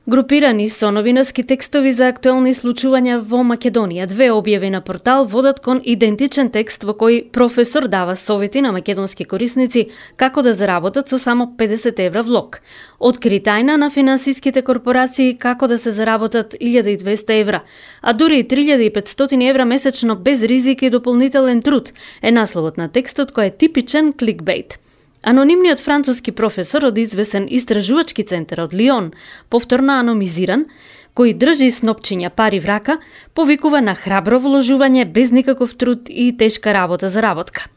Групирани со новинарски текстови за актуелни случувања во Македонија, две објави на портал водат кон идентичен текст во кој професор дава совети на македонски корисници како да заработат со само 50 евра влог. Откри тајна на финансиските корпорации како да се заработат 1200 евра, а дури и 3500 евра месечно без ризик и дополнителен труд е насловот на текстот кој е типичен кликбейт. Анонимниот француски професор од извесен истражувачки центар од Лион, повторно анонимизиран, кој држи снопчиња пари в рака, повикува на храбро вложување без никаков труд и тешка работа за работка.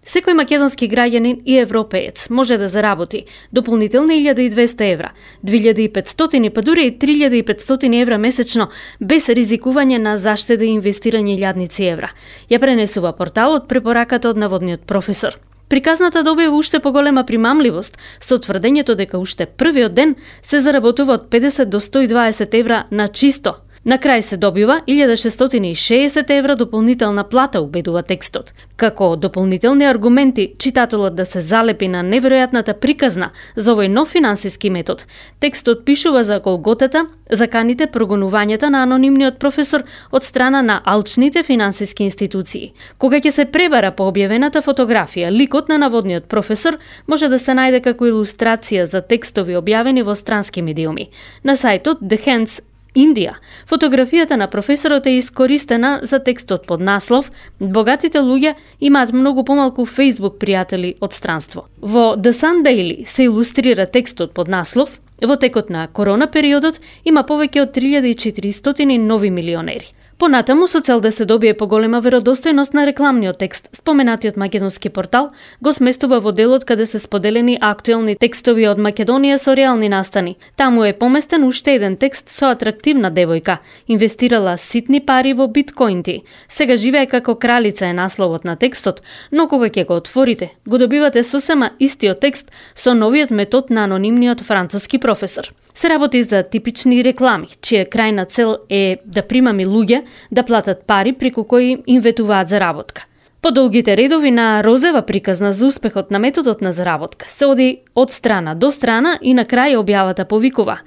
Секој македонски граѓанин и европеец може да заработи дополнителни 1200 евра, 2500 па дури и 3500 евра месечно без ризикување на заштеда и инвестирање илјадници евра. Ја пренесува порталот препораката од наводниот професор. Приказната добива уште поголема примамливост со тврдењето дека уште првиот ден се заработува од 50 до 120 евра на чисто. На крај се добива 1660 евра дополнителна плата, убедува текстот. Како дополнителни аргументи читателот да се залепи на неверојатната приказна за овој нов финансиски метод, текстот пишува за голготата, заканите прогонувањата на анонимниот професор од страна на алчните финансиски институции. Кога ќе се пребара по објавената фотографија, ликот на наводниот професор може да се најде како илустрација за текстови објавени во странски медиуми. На сајтот The Hands Индија, фотографијата на професорот е искористена за текстот под наслов "Богатите луѓе имаат многу помалку Facebook пријатели од странство". Во The Sun Daily се илустрира текстот под наслов "Во текот на корона периодот има повеќе од 3400 нови милионери". Понатаму, со цел да се добие поголема веродостојност на рекламниот текст, споменатиот македонски портал го сместува во делот каде се споделени актуелни текстови од Македонија со реални настани. Таму е поместен уште еден текст со атрактивна девојка, инвестирала ситни пари во биткоинти. Сега живее како кралица е насловот на текстот, но кога ќе го отворите, го добивате сосема истиот текст со новиот метод на анонимниот француски професор. Се работи за типични реклами, чија крајна цел е да примами луѓе да платат пари преку кои им ветуваат заработка. По долгите редови на розева приказна за успехот на методот на заработка се оди од страна до страна и на крај објавата повикува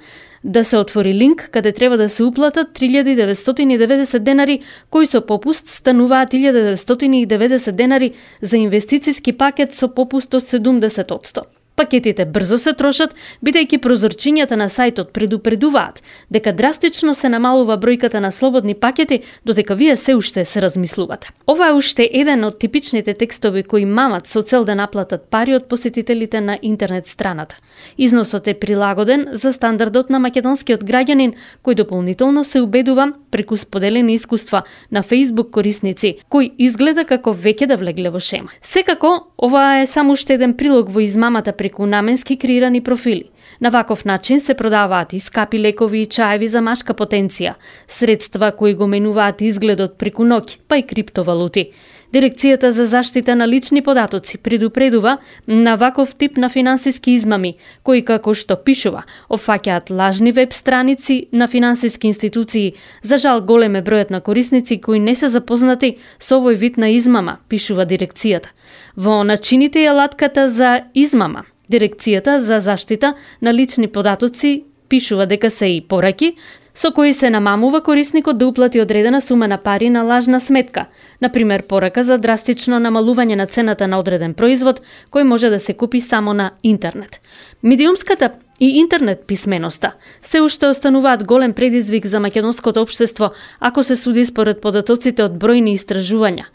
да се отвори линк каде треба да се уплатат 3990 денари, кои со попуст стануваат 1990 денари за инвестициски пакет со попуст од 70%. Пакетите брзо се трошат, бидејќи прозорчињата на сајтот предупредуваат дека драстично се намалува бројката на слободни пакети, додека вие се уште се размислувате. Ова е уште еден од типичните текстови кои мамат со цел да наплатат пари од посетителите на интернет страната. Износот е прилагоден за стандардот на македонскиот граѓанин, кој дополнително се убедува преку споделени искуства на Facebook корисници, кој изгледа како веќе да влегле во шема. Секако, ова е само уште еден прилог во измамата преку наменски креирани профили. На ваков начин се продаваат и скапи лекови и чаеви за машка потенција, средства кои го менуваат изгледот преку ноќ, па и криптовалути. Дирекцијата за заштита на лични податоци предупредува на ваков тип на финансиски измами, кои како што пишува, опфаќаат лажни веб страници на финансиски институции. За жал голем е бројот на корисници кои не се запознати со овој вид на измама, пишува дирекцијата. Во начините и алатката за измама, Дирекцијата за заштита на лични податоци пишува дека се и пораки со кои се намамува корисникот да уплати одредена сума на пари на лажна сметка, например порака за драстично намалување на цената на одреден производ кој може да се купи само на интернет. Медиумската и интернет писменоста се уште остануваат голем предизвик за македонското општество ако се суди според податоците од бројни истражувања.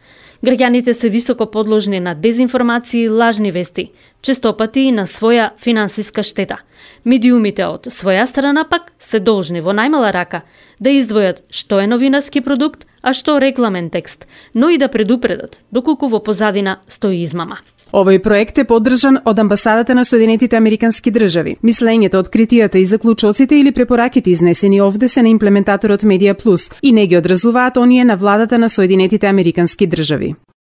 Граѓаните се високо подложни на дезинформации и лажни вести, честопати и на своја финансиска штета. Медиумите од своја страна пак се должни во најмала рака да издвојат што е новинарски продукт, а што рекламен текст, но и да предупредат доколку во позадина стои измама. Овој проект е поддржан од Амбасадата на Соединетите Американски држави. Мислењето, откритијата и заклучоците или препораките изнесени овде се на имплементаторот Медија Плюс и не ги одразуваат оние на владата на Соединетите Американски држави.